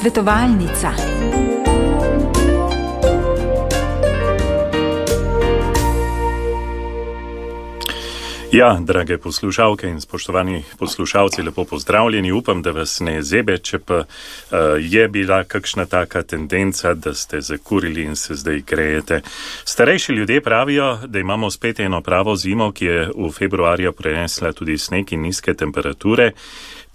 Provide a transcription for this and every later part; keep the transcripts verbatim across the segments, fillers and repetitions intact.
Svetovalnica. Ja, drage poslušalke in spoštovani poslušalci, lepo pozdravljeni. Upam, da vas ne zebe, če pa uh, je bila kakšna taka tendenca, da ste zakurili in se zdaj grejete. Starejši ljudje pravijo, da imamo spet eno pravo zimo, ki je v februarju prenesla tudi sneg in nizke temperature.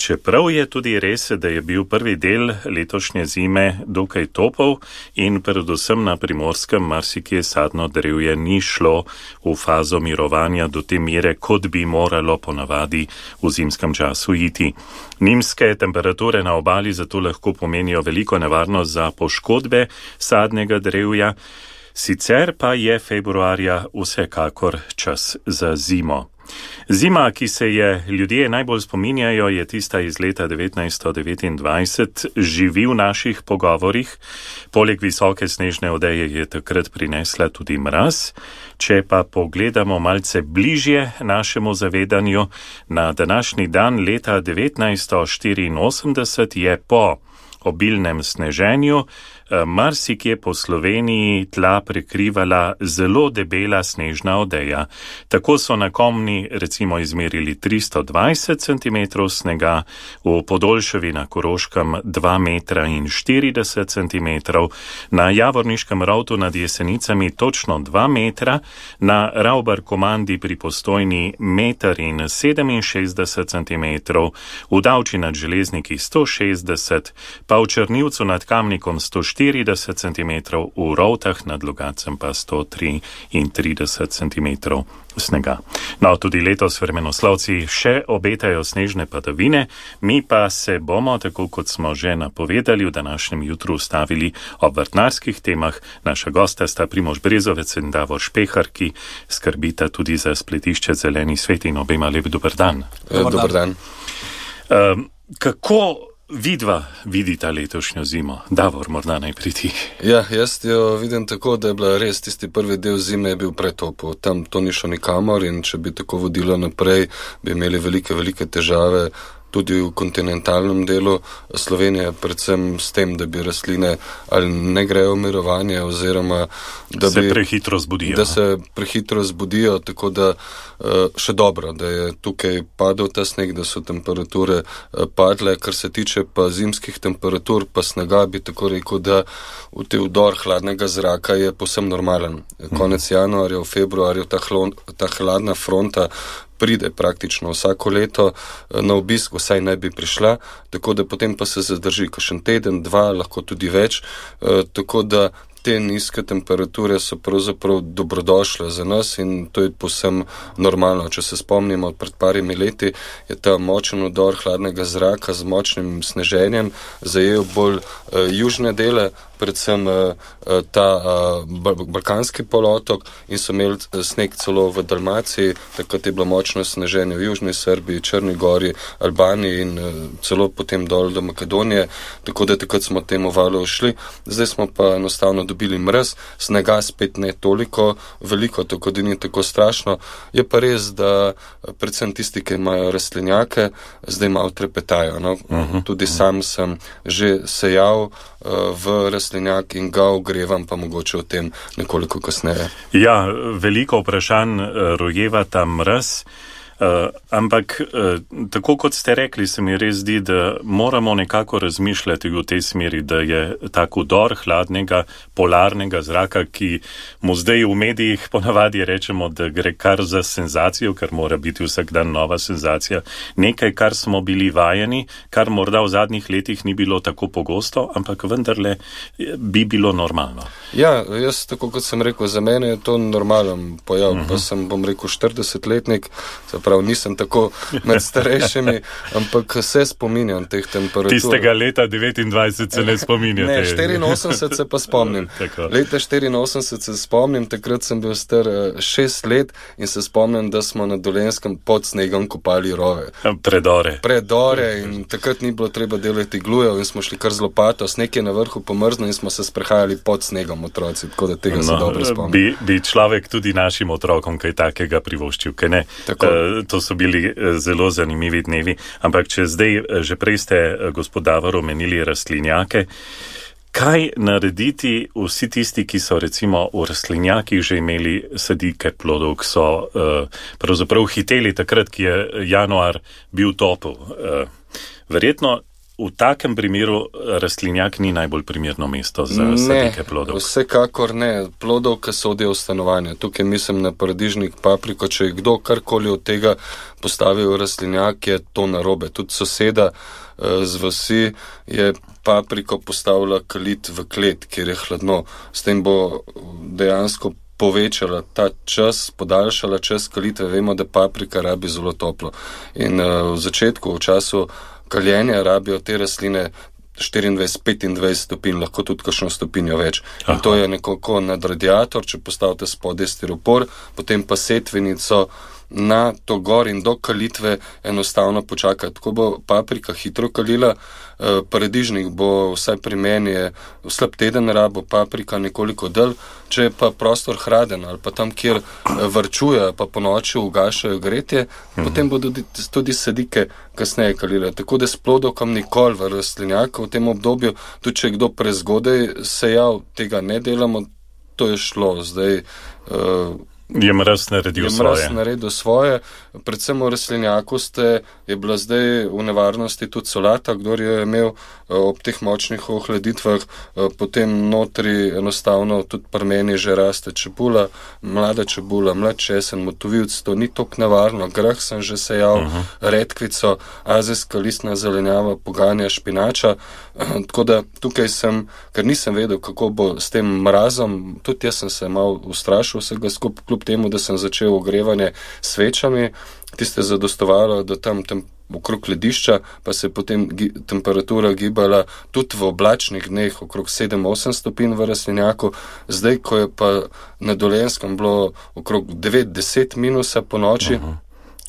Čeprav je tudi res, da je bil prvi del letošnje zime dokaj topel in predvsem na Primorskem marsikje sadno drevje ni šlo v fazo mirovanja do te mere, kot bi moralo ponavadi v zimskem času iti. Nizke temperature na obali zato lahko pomenijo veliko nevarnost za poškodbe sadnega drevja, sicer pa je februarja vsekakor čas za zimo. Zima, ki se je ljudje najbolj spominjajo, je tista iz leta devetnajststo devetindvajset, živi v naših pogovorih. Poleg visoke snežne odeje je takrat prinesla tudi mraz. Če pa pogledamo malce bližje našemu zavedanju, na današnji dan leta devetnajststo štiriinosemdeset je po obilnem sneženju marsikje po Sloveniji tla prekrivala zelo debela snežna odeja. Tako so na Komni recimo izmerili tristo dvajset centimetrov snega, v Podolševi na Koroškem dva metra in štirideset centimetrov, na Javorniškem rovtu nad Jesenicami točno dva metra, na Ravbar Komandi pri Postojni meter in sedeminšestdeset centimetrov, v Davči nad Železniki sto šestdeset, pa v Črnivcu nad Kamnikom sto štirideset centimetrov, v Rovtah nad Logacem pa sto triintrideset centimetrov snega. No, tudi letos vremenoslovci še obetajo snežne padavine, mi pa se bomo, tako kot smo že napovedali, v današnjem jutru ustavili ob vrtnarskih temah. Naša gosta sta Primož Brezovec in Davor Špehar, ki skrbita tudi za spletišče Zeleni svet, in obema lep dober dan. Dober dan. Um, kako vidva vidita letošnjo zimo? Davor, morda najprej ti. Ja, jaz jo vidim tako, da je bila res tisti prvi del zime je bil pretopel. Tam to ni šlo nikamor in če bi tako vodilo naprej, bi imeli velike, velike težave tudi v kontinentalnem delu Slovenije, predvsem s tem, da bi rastline ali ne grejo v mirovanje, oziroma da se bi, prehitro zbudijo. Da se prehitro zbudijo, tako da še dobro, da je tukaj padel ta sneg, da so temperature padle. Kar se tiče pa zimskih temperatur, pa snega, bi tako rekel, da v te vdor hladnega zraka je povsem normalen. Konec januarja, v februarju ta, hlon, ta hladna fronta pride praktično vsako leto na obisk, vsaj naj bi prišla, tako da potem pa se zadrži kakšen teden, dva, lahko tudi več, e, tako da te nizke temperature so pravzaprav dobrodošle za nas in to je povsem normalno. Če se spomnimo, pred parimi leti je ta močen vdor hladnega zraka z močnim sneženjem zajel bolj uh, južne dele, predvsem uh, ta uh, balkanski polotok, in so imeli sneg celo v Dalmaciji, takrat je bilo močno sneženje v Južni Srbiji, Črni Gori, Albaniji in uh, celo potem dol do Makedonije, tako da takrat smo temu valu šli. Zdaj smo pa enostavno dobili mraz, snega spet ne toliko veliko, tako da ni tako strašno. Je pa res, da predvsem tisti, ki imajo rastlinjake, zdaj malo trepetajo. No? Uh-huh. Tudi sam sem že sejal uh, v rastlinjak in ga ogrevam, pa mogoče o tem nekoliko kasneje. Ja, veliko vprašanj rojeva ta mraz. Uh, ampak, uh, tako kot ste rekli, se mi res zdi, da moramo nekako razmišljati v tej smeri, da je tak vdor hladnega, polarnega zraka, ki mu zdaj v medijih ponavadi rečemo, da gre kar za senzacijo, kar mora biti vsak dan nova senzacija, nekaj, kar smo bili vajeni, kar morda v zadnjih letih ni bilo tako pogosto, ampak vendarle bi bilo normalno. Ja, jaz, tako kot sem rekel, za mene je to normalen pojav, uh-huh. pa sem, bom rekel, štiridesetletnik, prav nisem tako med starejšimi, ampak se spominjam teh temperatur. Tistega leta devetindvajset se ne spominjate. Ne, štiriinosemdeset se pa spomnim. Leta štiriinosemdeset se spomnim, takrat sem bil star šest let in se spomnim, da smo na Dolenjskem pod snegom kopali rove. Predore. Predore in takrat ni bilo treba delati glujev in smo šli kar z lopato, sneg je na vrhu pomrznil in smo se sprehajali pod snegom otroci, tako da tega no, se dobro spomnim. Bi, bi človek tudi našim otrokom kaj takega privoščil, kaj ne? Tako. to so bili zelo zanimivi dnevi, ampak če zdaj že prej ste, gospod Davor, omenili rastlinjake, kaj narediti vsi tisti, ki so recimo v rastlinjakih že imeli sadike plodov, ki so uh, pravzaprav hiteli takrat, ki je januar bil topel. Uh, verjetno v takem primeru rastlinjak ni najbolj primerno mesto za ne, sadike plodov. Vsekakor ne. Plodov, ki sodijo v stanovanje. Tukaj mislim na paradižnik, papriko. Če je kdo karkoli od tega postavil v rastlinjak, je to narobe. Tudi soseda uh, z vasi je papriko postavila kalit v klet, kjer je hladno. S tem bo dejansko povečala ta čas, podaljšala čas kalitve. Vemo, da paprika rabi zelo toplo. In uh, v začetku, v času kaljenja rabijo te rastline štiriindvajset petindvajset stopinj, lahko tudi kakšno stopinjo več. Aha. In to je nekako nad radiator, če postavite spodaj stiropor, potem pa setvenico na to gor in do kalitve enostavno počakati. Tako bo paprika hitro kalila, paradižnik bo, vsaj pri meni je slab teden rabo, paprika nekoliko dlje, če je pa prostor hladen ali pa tam, kjer varčuje, pa po noči ugašajo gretje, mhm. potem bodo tudi sadike kasneje kalile. Tako da s plodovkom nikoli v rastlinjaka v tem obdobju, tudi če je kdo prezgodaj sejal, tega ne delamo, to je šlo. Zdaj uh, Je mraz naredil je svoje. Je mraz naredil svoje. Predvsem v rastlinjaku ste, je bila zdaj v nevarnosti tudi solata, kdor je imel ob teh močnih ohladitvah, potem notri enostavno tudi pri meni že raste čebula, mlada čebula, mlad česen, motovilc, to ni toliko nevarno. Grah sem že sejal, uh-huh. redkvico, azijska listna zelenjava, poganja, špinača. Tako da tukaj sem, ker nisem vedel, kako bo s tem mrazom, tudi jaz sem se mal ustrašil vsega skupaj, kljub temu, da sem začel ogrevanje svečami, tiste zadostovalo, da tam, tam okrog ledišča, pa se je potem gi- temperatura gibala tudi v oblačnih dneh okrog sedem osem stopinj v rastlinjaku. Zdaj, ko je pa na Dolenjskem bilo okrog devet deset minusa po noči. Uh-huh.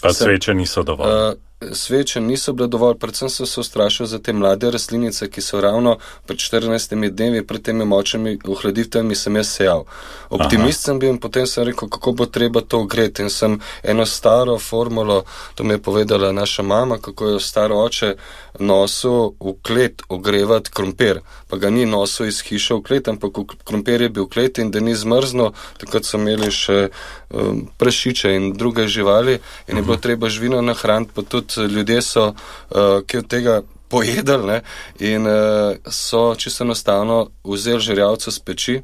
Pa sem, sveče niso dovolj. Uh, Sveče niso bile dovolj, predvsem sem se ustrašil za te mlade rastlinice, ki so ravno pred štirinajstimi dnevi, pred temi močnimi ohladitvami sem jaz sejal. Optimist Aha. sem bil in potem sem rekel, kako bo treba to ogreti. In sem eno staro formulo, to mi je povedala naša mama, kako je staro oče nosil v klet ogrevati krompir. Pa ga ni nosil iz hiše v klet, ampak krompir je bil v klet in da ni zmrzno, takrat so imeli še um, prašiče in druge živali in je bilo treba živino nahraniti, pa tudi ljudje so, uh, ki od tega pojedali, ne, in uh, so čisto enostavno vzeli žerjavco z peči,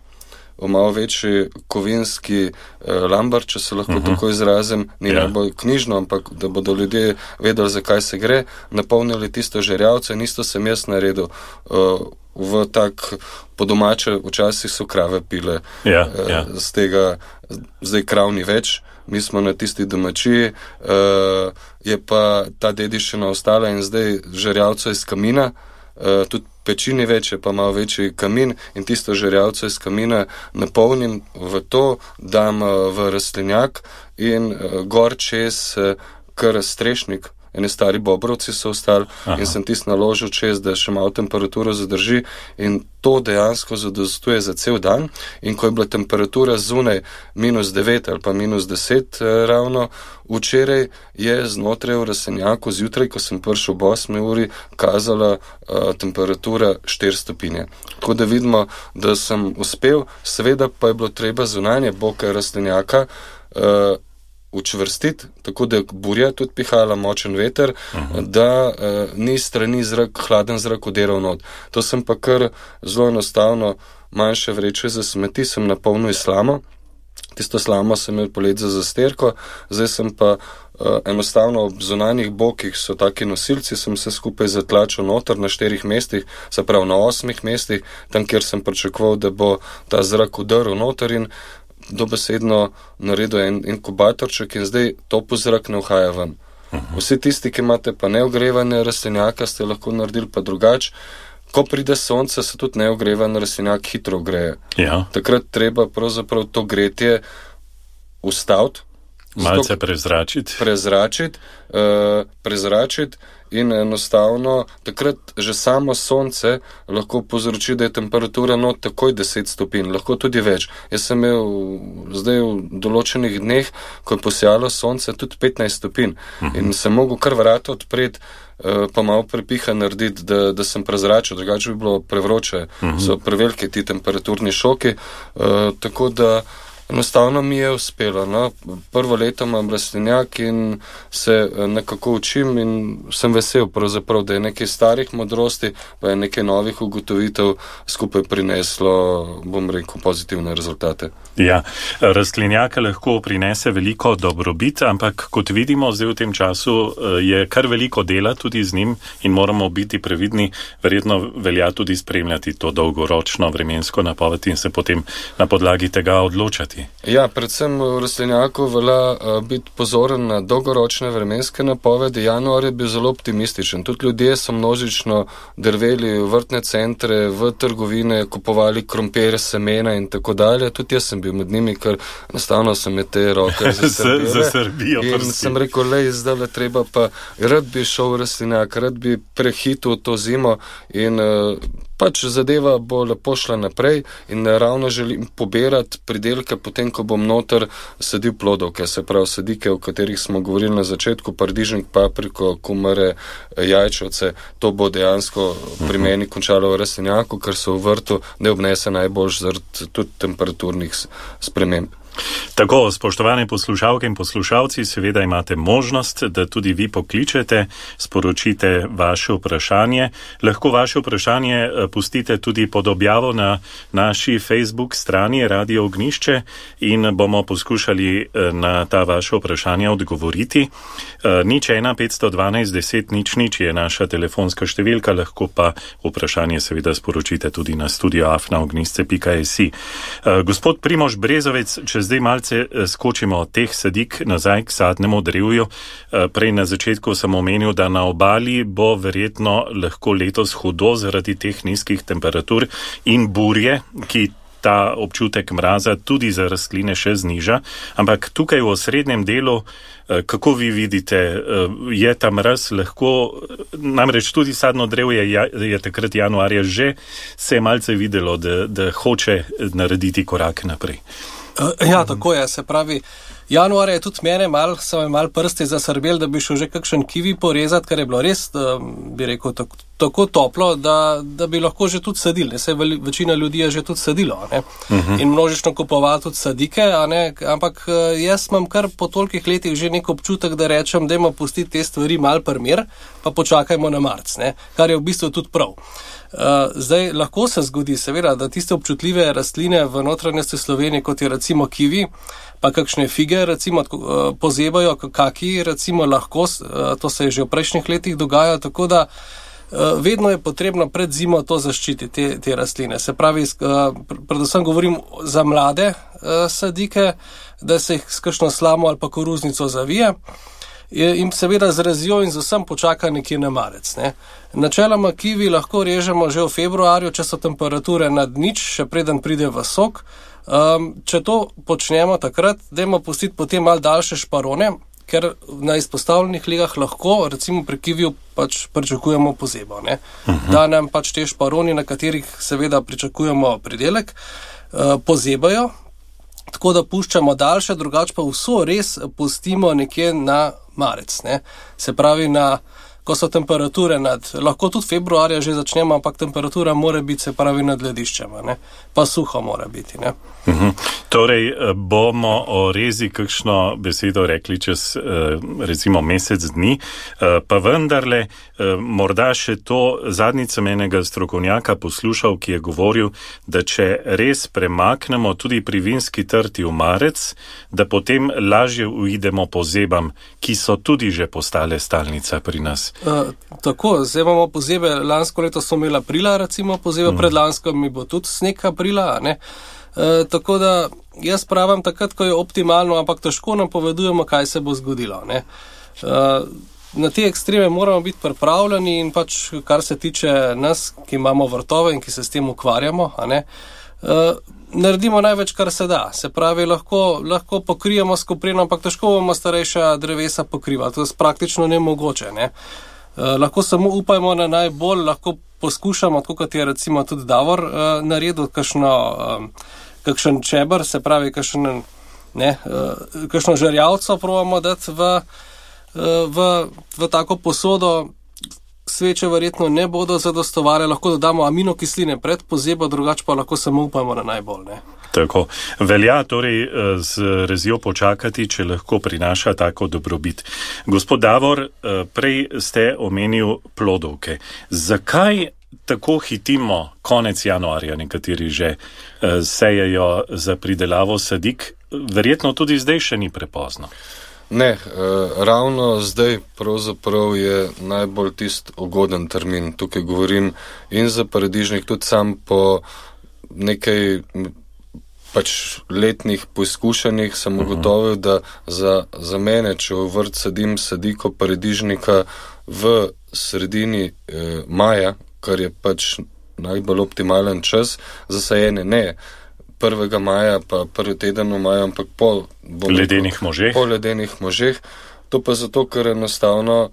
v malo večji kovinski uh, lambar, če se lahko uh-huh. tako izrazim, ni yeah. najbolj knjižno, ampak da bodo ljudje vedeli, zakaj se gre, napolnili tisto žerjavco in isto sem jaz naredil. Uh, v tak, po domače, včasih so krave pile yeah, uh, yeah. z tega, zdaj krav ni več. Mi smo na tisti domačiji, uh, je pa ta dediščina ostala in zdaj žerjavco iz kamina, uh, tudi pečini več, je pa malo večji kamin in tisto žerjavco iz kamina napolnim v to, dam uh, v rastlinjak in uh, gor čez uh, kar strešnik. Eni stari bobrovci so ostali Aha. in sem tisto naložil čez, da še malo temperaturo zadrži in to dejansko zadostuje za cel dan. In ko je bila temperatura zunaj minus devet ali pa minus deset eh, ravno, včeraj je znotraj v rastlinjaku zjutraj, ko sem prišel ob osmi uri, kazala eh, temperatura štiri stopinje. Tako da vidimo, da sem uspel, seveda pa je bilo treba zunanje boke rastlinjaka eh, učvrstiti, tako da burja tudi pihala, močen veter, uh-huh. da uh, ni strani zrak, hladen zrak vdiral not. To sem pa kar zelo enostavno, manjše vreče za smeti sem napolnil slamo, tisto slamo sem imel polet za zasterko, zdaj sem pa uh, enostavno ob zunanjih bokih so taki nosilci, sem se skupaj zatlačil noter na štirih mestih, se pravi na osmih mestih, tam kjer sem pričakoval, da bo ta zrak vdrl noter in dobesedno naredil en inkubatorček in zdaj topel zrak ne vhaja ven. Uh-huh. Vsi tisti, ki imate pa neogrevane rastlinjaka, ste lahko naredili pa drugače. Ko pride sonce, se tudi neogrevan rastlinjak hitro ogreje. Ja. Takrat treba pravzaprav to gretje ustaviti Malce prezračiti. Prezračiti, uh, prezračiti in enostavno takrat že samo sonce lahko povzroči, da je temperatura not takoj deset stopinj, lahko tudi več. Jaz sem imel zdaj v določenih dneh, ko je posijalo sonce, tudi petnajst stopinj uh-huh. in sem mogel kar vrata odpreti, uh, pa malo prepiha narediti, da, da sem prezračil, drugače bi bilo prevroče, uh-huh. so prevelike ti temperaturni šoki, uh, tako da enostavno mi je uspelo. No? Prvo leto imam rastlinjak in se nekako učim in sem vesel pravzaprav, da je nekaj starih modrosti, pa je nekaj novih ugotovitev skupaj prineslo, bom rekel, pozitivne rezultate. Ja, rastlinjak lahko prinese veliko dobrobit, ampak kot vidimo zdaj v tem času je kar veliko dela tudi z njim in moramo biti previdni, verjetno velja tudi spremljati to dolgoročno vremensko napoved in se potem na podlagi tega odločati. Ja, predvsem v rastlinjaku velja uh, biti pozoren na dolgoročne vremenske napovedi. Januar je bil zelo optimističen. Tudi ljudje so množično drveli v vrtne centre, v trgovine, kupovali krompir, semena in tako dalje. Tudi jaz sem bil med njimi, ker enostavno so me te roke zasrbijo. In sem rekel, lej, zdaj le treba pa, rad bi šel v rastlinjak, rad bi prehitil to zimo in uh, pač zadeva bo lepo šla naprej in ravno želim pobirati pridelke potem, ko bom noter sadil plodovke, se pravi sadike, o katerih smo govorili na začetku, paradižnik, papriko, kumare, jajčevce, to bo dejansko pri meni končalo v rastlinjaku, ker so v vrtu, ne obnese najbolj zaradi tudi temperaturnih sprememb. Tako, spoštovane poslušalke in poslušalci, seveda imate možnost, da tudi vi pokličete, sporočite vaše vprašanje. Lahko vaše vprašanje pustite tudi pod objavo na naši Facebook strani Radio Ognjišče in bomo poskušali na ta vaše vprašanja odgovoriti. Nič ena petsto dvanajst deset nič nič je naša telefonska številka, lahko pa vprašanje seveda sporočite tudi na studio afna ognjišče pika si. Gospod Primož Brezovec, če zdaj malce skočimo od teh sadik nazaj k sadnemu drevju. Prej na začetku sem omenil, da na obali bo verjetno lahko letos hudo zaradi teh nizkih temperatur in burje, ki ta občutek mraza tudi za rastline še zniža. Ampak tukaj v osrednjem delu, kako vi vidite, je ta mraz lahko, namreč tudi sadno drevje je, je takrat januarja že se je malce videlo, da, da hoče narediti korak naprej. Ja, tako je, se pravi, januar je tudi mene mal, so me mal prsti zasrbel, da bi šel že kakšen kivi porezati, ker je bilo res, bi rekel, tako, tako toplo, da, da bi lahko že tudi sadili, ne, saj večina ljudi je že tudi sadilo, ne, uh-huh. in množično kupovali tudi sadike, a ne, ampak jaz imam kar po tolikih letih že nek občutek, da rečem, dajmo pustiti te stvari mal primer, pa počakajmo na marc, ne, kar je v bistvu tudi prav. Uh, zdaj, lahko se zgodi, seveda, da tiste občutljive rastline v notranjosti Slovenije, kot je recimo kivi, pa kakšne fige, recimo, uh, pozebajo, kaki, recimo, lahko, uh, to se je že v prejšnjih letih dogajalo, tako da uh, vedno je potrebno pred zimo to zaščititi, te, te rastline. Se pravi, uh, predvsem govorim za mlade uh, sadike, da se jih s kakšno slamo ali pa koruznico zavije, in seveda z razjo in z vsem počaka nekje na marec. Ne. Načeloma kivi lahko režemo že v februarju, če so temperature nad nič, še preden pride v sok. Um, če to počnemo takrat, dajmo pustiti potem malo daljše šparone, ker na izpostavljenih legah lahko, recimo pri kiviju, pač pričakujemo pozebo. Ne. Uh-huh. Da nam pač te šparoni, na katerih seveda pričakujemo pridelek, uh, pozebajo, tako da puščamo daljše, drugače pa vso res pustimo nekje na marec, ne. Se pravi, na, ko so temperature nad, lahko tudi februarja že začnemo, ampak temperatura mora biti, se pravi, nad lediščema, ne. Pa suho mora biti, ne. Uhum. Torej, bomo o rezi kakšno besedo rekli čez recimo mesec dni, pa vendarle morda še to zadnjič sem enega strokovnjaka poslušal, ki je govoril, da če res premaknemo tudi pri vinski trti v marec, da potem lažje uidemo pozebam, ki so tudi že postale stalnica pri nas. Uh, tako, zdaj imamo pozebe, lansko leto smo imeli aprila, recimo pozebe, uhum. Predlansko mi bo tudi sneg aprila, ne. Uh, tako da jaz pravim takrat, ko je optimalno, ampak težko nam povedujemo, kaj se bo zgodilo. Ne? Uh, na te ekstreme moramo biti pripravljeni in pač, kar se tiče nas, ki imamo vrtove in ki se s tem ukvarjamo, a ne, uh, naredimo največ, kar se da. Se pravi, lahko, lahko pokrijemo s koprino, ampak težko bomo starejša drevesa pokrivati. To je praktično nemogoče. Ne? Uh, lahko samo upajmo na najbolj, lahko poskušamo, tako kot je recimo tudi Davor uh, naredil, kakšno, um, kakšen čeber, se pravi, kakšen, ne, uh, kakšno žerjavco probamo dati v, uh, v, v tako posodo. Sveče verjetno ne bodo zadostovale, lahko dodamo aminokisline pred pozebo, drugače pa lahko samo upamo na najbolj. Ne? Tako. Velja torej z rezjo počakati, če lahko prinaša tako dobrobit. Gospod Davor, prej ste omenil plodovke. Zakaj tako hitimo konec januarja, nekateri že sejejo za pridelavo sadik? Verjetno tudi zdaj še ni prepozno. Ne, ravno zdaj pravzaprav je najbolj tist ugoden termin. Tukaj govorim in za paradižnik, tudi sam po nekaj pač letnih poizkušanjih sem ugotovil, da za, za mene, če v vrt sadim sadiko paradižnika v sredini eh, maja, kar je pač najbolj optimalen čas za sajenje, ne prvega maja, pa prvi teden v maju, ampak po ledenih možeh. Po ledenih možeh. To pa zato, ker enostavno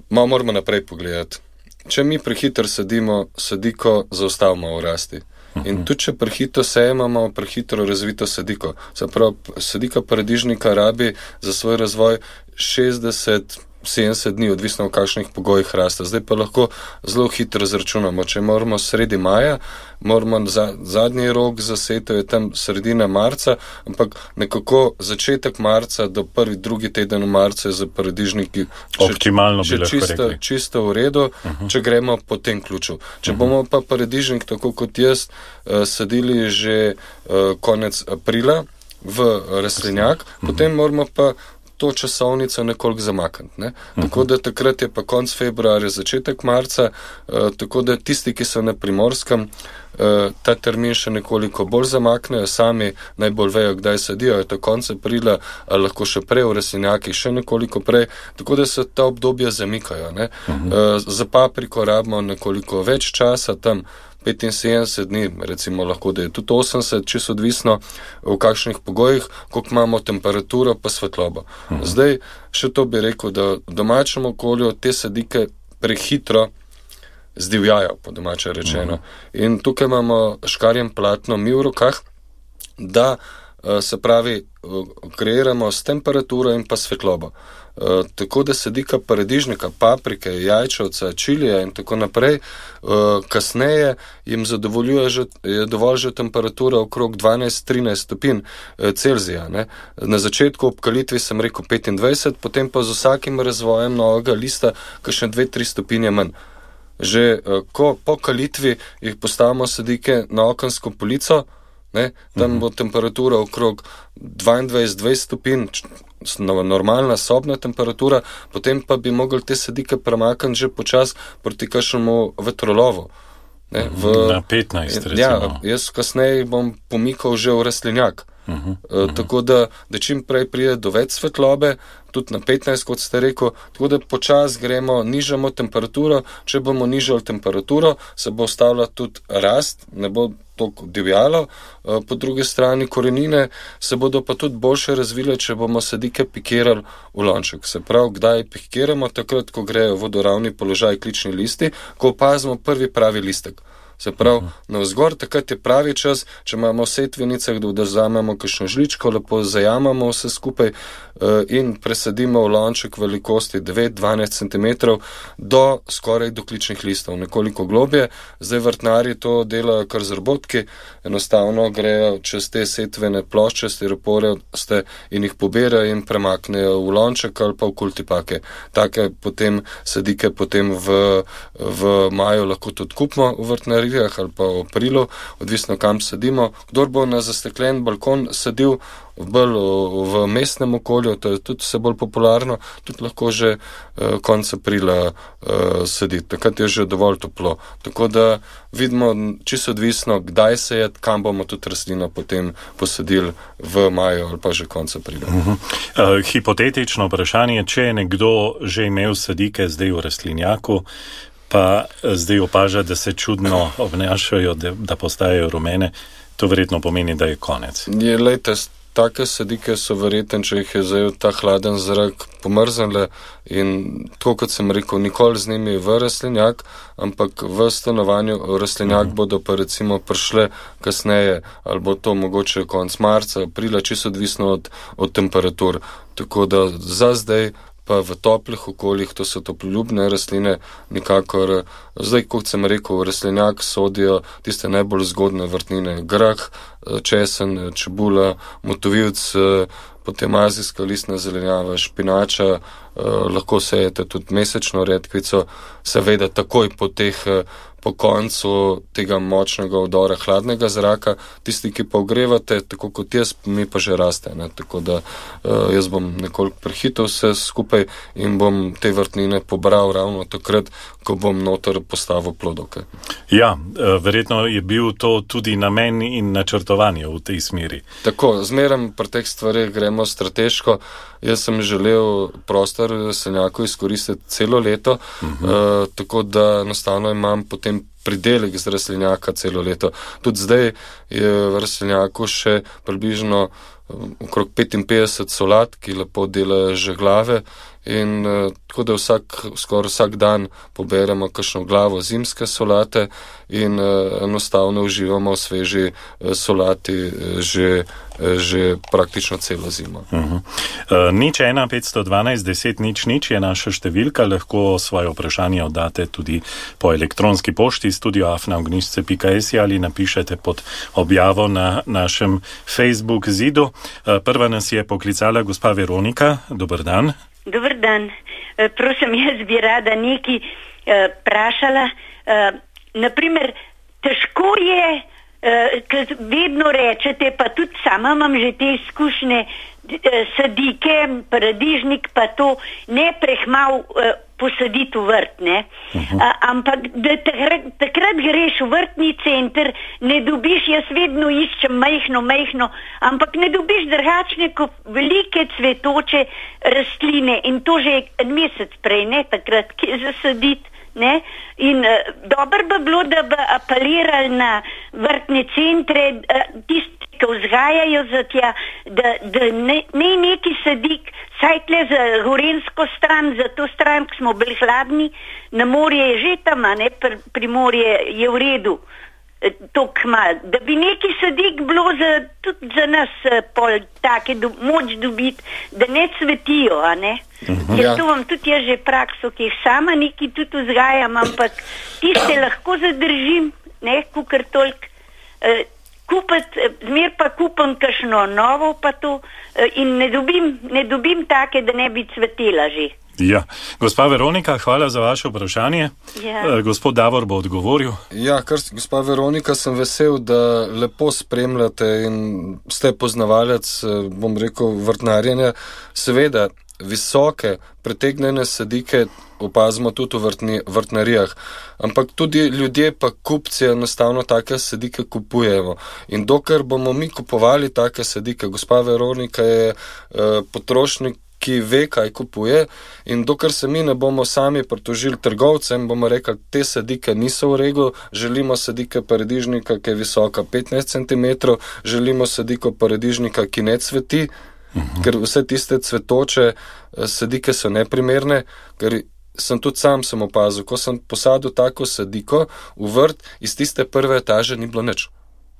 malo moramo naprej pogledati. Če mi prehiter sadimo sadiko, zaustavimo v rasti. In tudi, če prehito sejemo, imamo prehitro razvito sadiko. Se pravi, sadika paradižnika rabi za svoj razvoj šestdeset sedemdeset dni, odvisno v kakšnih pogojih raste. Zdaj pa lahko zelo hitro zračunamo. Če moramo sredi maja, moramo za, zadnji rok za setev je tam sredina marca, ampak nekako začetek marca do prvi, drugi teden v marcu je za paradižniki optimalno še, še čisto, čisto v redu, uh-huh. če gremo po tem ključu. Če uh-huh. bomo pa paradižnik, tako kot jaz, uh, sadili že uh, konec aprila v rastlinjak, uh-huh. potem moramo pa to časovnico nekoliko zamakniti. Ne? Uh-huh. Tako da takrat je pa konc februarja, začetek marca, uh, tako da tisti, ki so na Primorskem, uh, ta termin še nekoliko bolj zamaknejo, sami najbolj vejo, kdaj sadijo, je to konc aprila, ali lahko še prej v rastlinjakih, še nekoliko prej, tako da se ta obdobja zamikajo. Ne? Uh-huh. Uh, za papriko rabimo nekoliko več časa, tam petinsedemdeset dni, recimo lahko, da je tudi osemdeset, čisto odvisno v kakšnih pogojih, koliko imamo temperaturo pa svetlobo. Uh-huh. Zdaj, še to bi rekel, da v domačem okolju te sadike prehitro zdivjajo, po domače rečeno. Uh-huh. In tukaj imamo škarjem platno mi v rokah, da se pravi, kreiramo s temperaturo in pa svetlobo. Uh, tako da sadika paradižnika, paprike, jajčevca, čilija in tako naprej, uh, kasneje jim zadovoljuje že, je dovolj že temperatura okrog dvanajst trinajst stopinj uh, Celzija. Ne? Na začetku ob kalitvi sem rekel petindvajset, potem pa z vsakim razvojem novega lista kakšne dve tri stopinje manj. Že uh, ko po kalitvi jih postavimo sadike na okensko polico, ne? Tam bo temperatura okrog dvaindvajset dvajset stopinj, normalna sobna temperatura, potem pa bi mogli te sadike premakniti že počas proti kakšnemu vetrolovu. Ne, v, na petnajst, recimo. Ja, jaz kasneje bom pomikal že v rastlinjak. Uh-huh, uh-huh. E, tako da, da čim prej pride do več svetlobe, tudi na petnajst, kot ste rekel, tako da počas gremo, nižamo temperaturo, če bomo nižali temperaturo, se bo ostavila tudi rast, ne bo toliko divjalo, e, po drugi strani korenine se bodo pa tudi boljše razvile, če bomo sadike pikirali v lonček. Se pravi, kdaj pikiramo, takrat, ko grejo v vodoravni položaj klični listi, ko opazimo prvi pravi listek. Se pravi, navzgor, takrat je pravi čas, če imamo v setvenicah, da vzamemo kakšno žličko, lepo zajamamo vse skupaj uh, in presadimo v lonček velikosti devet do dvanajst centimetrov do skoraj do kličnih listov, nekoliko globje. Zdaj vrtnari to delajo kar z robotki, enostavno grejo čez te setvene plošče, stiropore in jih poberajo in premaknejo v lonček ali pa v kultipake. Take potem sadike potem v, v maju lahko tudi kupimo v vrtnari ali pa v aprilu, odvisno kam sadimo. Kdor bo na zasteklen balkon sadil bolj v mestnem okolju, to je tudi vse bolj popularno, tudi lahko že uh, konec aprila uh, saditi. Takrat je že dovolj toplo. Tako da vidimo čisto odvisno, kdaj se je, kam bomo tudi rastlino potem posadili v maju ali pa že konec aprila. Uh-huh. Uh, hipotetično vprašanje, če je nekdo že imel sadike zdaj v rastlinjaku, pa zdaj opaža, da se čudno obnašajo, da, da postajajo rumene. To verjetno pomeni, da je konec. Je, lejte, take sadike so verjetno, če jih je zajel ta hladen zrak, pomrznile in tako kot sem rekel, nikoli z njimi v rastlinjak, ampak v stanovanju rastlinjak uh-huh. bodo pa recimo prišle kasneje, ali bo to mogoče konc marca, aprila, čisto odvisno od, od temperatur. Tako da za zdaj pa v toplih okoljih, to so toploljubne rastline, nikakor, zdaj, kot sem rekel, v rastlinjak sodijo tiste najbolj zgodne vrtnine, grah, česen, čebula, motovilc, potem azijska listna zelenjava, špinača, lahko sejete tudi mesečno redkvico, seveda takoj po teh po koncu tega močnega vdora hladnega zraka, tisti, ki pa ogrevate, tako kot jaz, mi pa že raste. Ne? Tako da uh, jaz bom nekoliko prehitel vse skupaj in bom te vrtnine pobral ravno takrat, ko bom noter postavil plodovke. Ja, verjetno je bil to tudi namen in načrtovanje v tej smeri. Tako, zmeraj pri teh stvarih gremo strateško. Jaz sem želel prostor rastlinjakov izkoristiti celo leto, uh-huh. uh, tako da enostavno imam potem pridelek z rastlinjaka celo leto. Tudi zdaj je v rastlinjaku še približno okrog petinpetdeset solat, ki lepo delajo že glave in uh, tako da vsak, skoraj vsak dan poberemo kakšno glavo zimske solate in uh, enostavno uživamo v sveži uh, solati uh, že, uh, že praktično celo zimo. Uh-huh. Uh, nič ena petsto dvanajst deset nič nič je naša številka, lahko svoje vprašanje oddate tudi po elektronski pošti studio afna ognjišče pika si ali napišete pod objavo na našem Facebook zidu. Uh, prva nas je poklicala gospa Veronika. Dober dan. Dobar dan. E, prosim, jaz bi rada nekaj e, prašala. E, naprimer, težko je, e, ker vedno rečete, pa tudi sama imam že te izkušnje, e, sadike, paradižnik, pa to ne prehmal e, posaditi v vrt, ne? Uh-huh. A, ampak da takrat, takrat greš v vrtni center, ne dobiš, jaz vedno iščem majhno, majhno, ampak ne dobiš drugačne kot velike cvetoče rastline in to že en mesec prej, ne, takrat, ki je zasaditi, ne? In uh, dobro bi bilo, da bi apelirali na vrtne centre, uh, tisti, ki vzgajajo za tja, da, da ne, ne neki sadik, saj tle za gorensko stran, za to stran, ki smo bili hladni, na morje je že tam, ne, pri, pri morje je v redu, to kmal, da bi neki sadik bilo za, tudi za nas pol take do, moč dobiti, da ne cvetijo, a ne. Uh-huh. Ja, to vam tudi jaz že prakso, ki jih sama neki tudi vzgajam, ampak tiste lahko zadržim, ne, kukar toliko, eh, kupiti, zmer pa kupam kakšno novo pa to in ne dobim, ne dobim take, da ne bi cvetela že. Ja, gospa Veronika, hvala za vaše vprašanje. Ja. Gospod Davor bo odgovoril. Ja, kar, gospa Veronika, sem vesel, da lepo spremljate in ste poznavalec, bom rekel, vrtnarjenja. Seveda, visoke, pretegnjene sadike opazimo tudi v vrtni, vrtnarijah, ampak tudi ljudje pa kupci enostavno take sadike kupujemo. In dokler bomo mi kupovali take sadike, gospa Veronika je uh, potrošnik, ki ve, kaj kupuje, in dokler se mi ne bomo sami pritožili trgovcem, bomo rekli, te sadike niso v redu, želimo sadike paradižnika, ki je visoka petnajst centimetrov, želimo sadiko paradižnika, ki ne cveti, uh-huh. ker vse tiste cvetoče sadike so neprimerne, ker sem tudi sam sem opazil, ko sem posadil tako sadiko v vrt, iz tiste prve etaže ni bilo nič.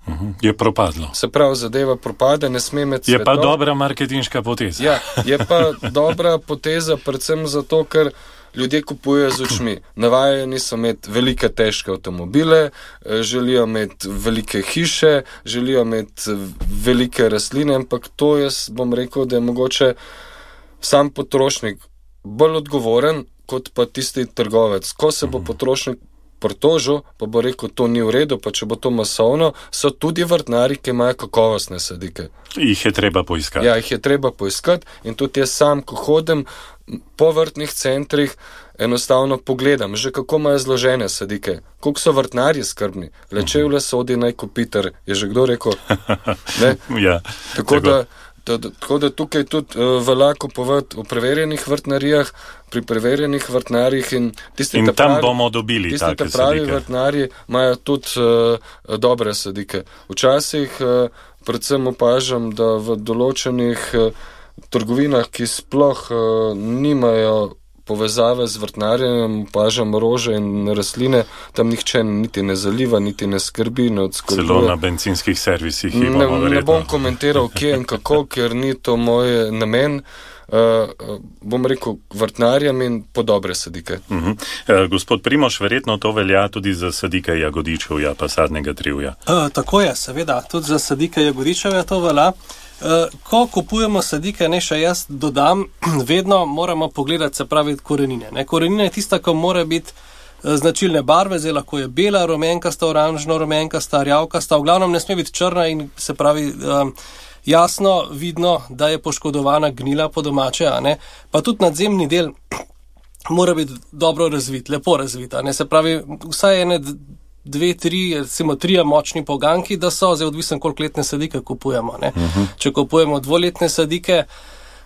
Uhum, je propadlo. Se pravi, zadeva propade, ne sme med cvetov. Je pa dobra marketinška poteza. Ja, je pa dobra poteza, predvsem zato, ker ljudje kupujejo z očmi. Navajeni so imeti velike, težke avtomobile, želijo imeti velike hiše, želijo imeti velike rastline, ampak to jaz bom rekel, da je mogoče sam potrošnik bolj odgovoren, kot pa tisti trgovec. Ko se bo potrošnik pritožil, pa bo rekel, to ni v redu, pa če bo to masovno, so tudi vrtnari, ki imajo kakovostne sadike. Jih je treba poiskati. Ja, jih je treba poiskati in tudi jaz sam, ko hodim po vrtnih centrih, enostavno pogledam, že kako imajo zložene sadike, koliko so vrtnarji skrbni. Le čevlje sodi naj kopiter, je že kdo rekel? Ne? Ja, tako, tako da Tako da tukaj tudi uh, velja kupovati v preverjenih vrtnarijah, pri preverjenih vrtnarjih in tisti, in ta tam pravi, bomo dobili tisti, take ta pravi sadike. Vrtnarji imajo tudi uh, dobre sadike. Včasih uh, predvsem opažam, da v določenih uh, trgovinah, ki sploh uh, nimajo povezave z vrtnarjem, opažam rože in rastline, tam nihče niti ne zaliva, niti ne skrbi, ne odskrbuje. Celo na bencinskih servisih jih ne, bomo verjetno. Ne bom komentiral, kje in kako, ker ni to moj namen. Uh, bom rekel vrtnarjem in po dobre sadike. Uh-huh. Uh, gospod Primož, verjetno to velja tudi za sadike jagodičevja pa sadnega drevja. Uh, tako je, seveda, tudi za sadike jagodičevja to velja. Uh, ko kupujemo sadike, ne še jaz dodam, vedno moramo pogledati, se pravi, korenine. Ne? Korenina je tista, ko mora biti uh, značilne barve, zdaj lahko je bela, rumenkasta, oranžno, rumenkasta, rjavkasta, v glavnem ne sme biti črna in se pravi uh, jasno vidno, da je poškodovana gnila po domače, a ne? Pa tudi nadzemni del mora biti dobro razvit, lepo razvit, a ne? Se pravi, vsaj ene dve, tri, recimo trije močni poganki, da so, zdaj odvisen, koliko letne sadike kupujemo, ne? Uh-huh. Če kupujemo dvoletne sadike,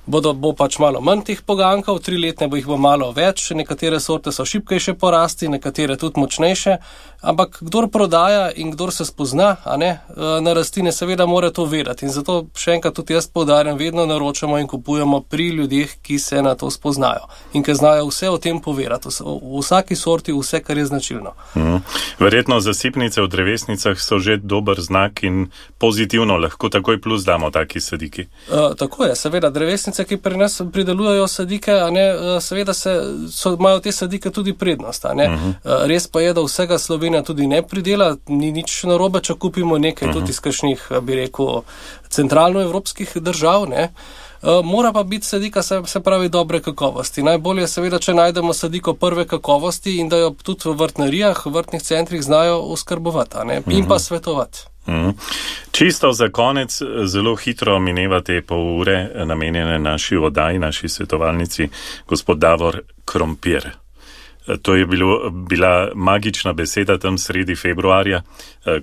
bodo, bo pač malo manj teh pogankov, tri letne bo jih bo malo več, nekatere sorte so šibkejše porasti, nekatere tudi močnejše, ampak kdor prodaja in kdor se spozna, a ne, na rastline, seveda mora to vedeti in zato še enkrat tudi jaz poudarjam, vedno naročamo in kupujemo pri ljudeh, ki se na to spoznajo in ki znajo vse o tem povedati, v vsaki sorti vse, kar je značilno. Mm. Verjetno zasipnice v drevesnicah so že dober znak in pozitivno lahko takoj plus damo taki sadiki. Uh, tako je, seveda, drevesnice, ki pri nas pridelujejo sadike, a ne, seveda se, so, imajo te sadike tudi prednost, a ne. Uh-huh. Uh, res pa je, da vsega Slovenija tudi ne pridela, ni nič narobe, če kupimo nekaj uh-huh. tudi iz kakšnih, bi rekel, centralnoevropskih držav, ne. Uh, mora pa biti sadika, se, se pravi, dobre kakovosti. Najbolje je seveda, če najdemo sadiko prve kakovosti in da jo tudi v vrtnarijah, v vrtnih centrih znajo oskrbovati, a ne, uh-huh. in pa svetovati. Mm. Čisto za konec, zelo hitro mineva te pol ure namenjene naši oddaji, naši svetovalnici, gospod Davor, krompir. To je bilo, bila magična beseda tam sredi februarja,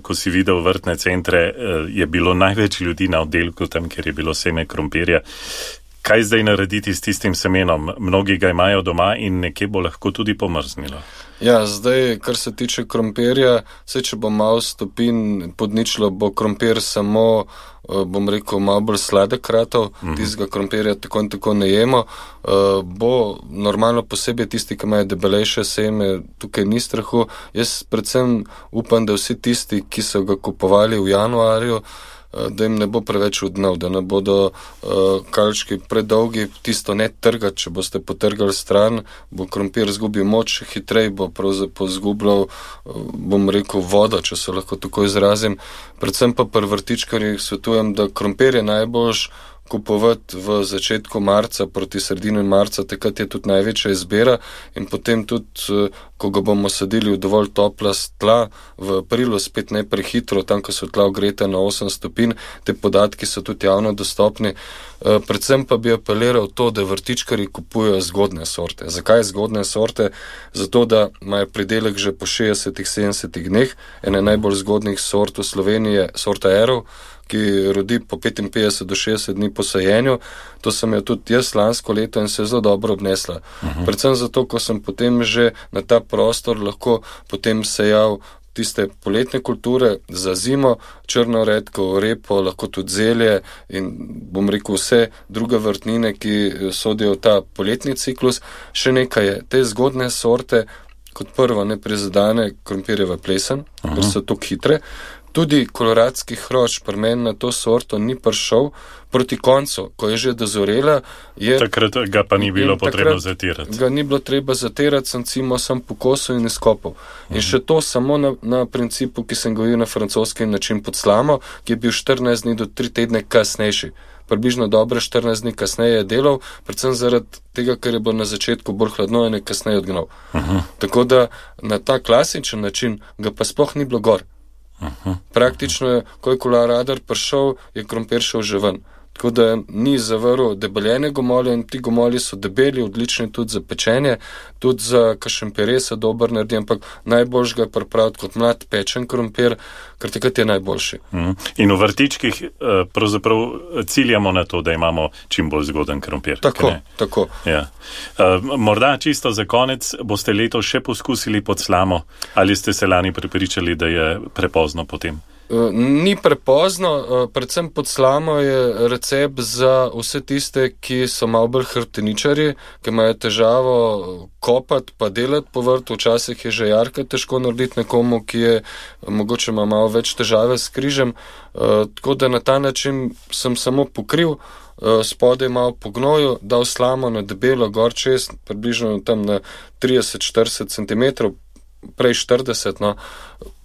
ko si videl vrtne centre, je bilo največ ljudi na oddelku tam, ker je bilo seme krompirja. Kaj zdaj narediti s tistim semenom? Mnogi ga imajo doma in nekje bo lahko tudi pomrznilo. Ja, zdaj, kar se tiče krompirja, vse, če bo malo stopin podničilo, bo krompir samo, bom rekel, malo bolj sladek ratov, mm-hmm. tistega krompirja tako in tako ne jemo. Bo normalno posebej tisti, ki imajo debelejše seme, tukaj ni strahu. Jaz predvsem upam, da vsi tisti, ki so ga kupovali v januarju, da jim ne bo preveč odnov, da ne bodo uh, kalčki predolgi, tisto ne trgati, če boste potrgali stran, bo krompir zgubil moč, hitrej bo pravzaprav zgubljal, uh, bom rekel, vodo, če se lahko tako izrazim. Predvsem pa pri vrtičkarjih svetujem, da krompir je najboljš kupovati v začetku marca, proti sredini marca, takrat je tudi največja izbira in potem tudi, ko ga bomo sadili v dovolj topla tla, v aprilu spet ne prehitro, tam, ko so tla ogreta na osem stopinj, te podatki so tudi javno dostopni. Predvsem pa bi apeliral to, da vrtičkarji kupujejo zgodne sorte. Zakaj zgodne sorte? Zato, da imajo pridelek že po šestdesetih, sedemdesetih dneh, ene najbolj zgodnih sort v Sloveniji je sorta Erov, ki rodi po petinpetdeset do šestdeset dni po sajenju. To sem jo tudi jaz lansko leto in se je zelo dobro obnesla. Uh-huh. Predvsem zato, ko sem potem že na ta prostor lahko potem sejal tiste poletne kulture za zimo, črno redko, repo, lahko tudi zelje in bom rekel vse druge vrtnine, ki sodijo v ta poletni ciklus. Še nekaj je, te zgodne sorte, kot prvo ne prizadane krompirjeva plesen, uh-huh. ker so tako hitre. Tudi koloradski hrošč pri meni na to sorto ni prišel proti koncu, ko je že dozorela. Je, takrat ga pa ni bilo potrebno zatirati. Ga ni bilo treba zatirati, sem cimo sem pokosil in izkopal. In mhm. še to samo na, na principu, ki sem gojil na francoski način pod slamo, ki je bil štirinajst dni do tri tedne kasnejši. Približno dobre štirinajst dni kasneje je delal, predvsem zaradi tega, ker je bilo na začetku bolj hladno in je kasneje odgnal. Uh-huh. Tako da na ta klasičen način ga pa sploh ni bilo gor. Uh-huh. Praktično je, ko je koloradar prišel, je krompir šel že ven. tako da ni zavrl debeljene gomolje in ti gomolji so debeli, odlični tudi za pečenje, tudi za kakšen pire se dober naredi, ampak najboljš ga je pripraviti kot mlad pečen krompir, ker takrat je najboljši. Mm. In v vrtičkih pravzaprav ciljamo na to, da imamo čim bolj zgoden krompir. Tako, tako. Ja. Morda čisto za konec, boste letos še poskusili pod slamo, ali ste se lani prepričali, da je prepozno potem? Ni prepozno, predvsem pod slamo je recept za vse tiste, ki so malo bolj hrbteničarji, ki imajo težavo kopati pa delati po vrtu, včasih je že jarka težko narediti nekomu, ki je mogoče ima malo več težave s križem, tako da na ta način sem samo pokril, spodaj malo po gnoju, dal slamo na debelo gor čez, približno tam na trideset do štirideset centimetrov, prej štirideset, no,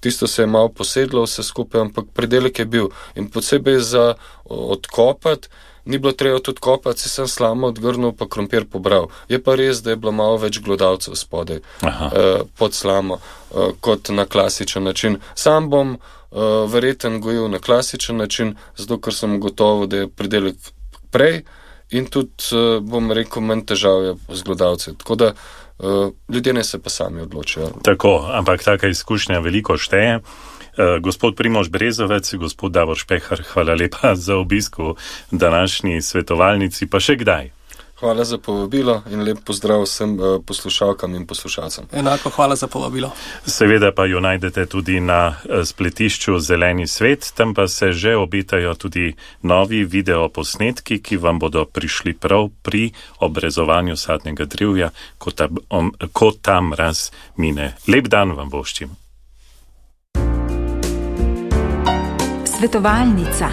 tisto se je malo posedlo vse skupaj, ampak predelek je bil. In posebej za odkopati, ni bilo treba tudi kopati, si sem slamo odgrnil, pa krompir pobral. Je pa res, da je bilo malo več glodavcev spodaj eh, pod slamo, eh, kot na klasičen način. Sam bom eh, verjeten gojil na klasičen način, zato ker sem gotovo, da je predelek prej in tudi, eh, bom rekel, manj težav je z glodavci. Tako da Uh, ljudje ne se pa sami odločijo. Tako, ampak taka izkušnja veliko šteje. Uh, gospod Primož Brezovec, gospod Davor Špehar, hvala lepa za obisk v današnji svetovalnici, pa še kdaj. Hvala za povabilo in lep pozdrav vsem uh, poslušalkam in poslušalcem. Enako hvala za povabilo. Seveda pa jo najdete tudi na spletišču Zeleni svet, tam pa se že obetajo tudi novi videoposnetki, ki vam bodo prišli prav pri obrezovanju sadnega drevja, ko ta, um, ko ta mraz mine. Lep dan vam voščim. Svetovalnica.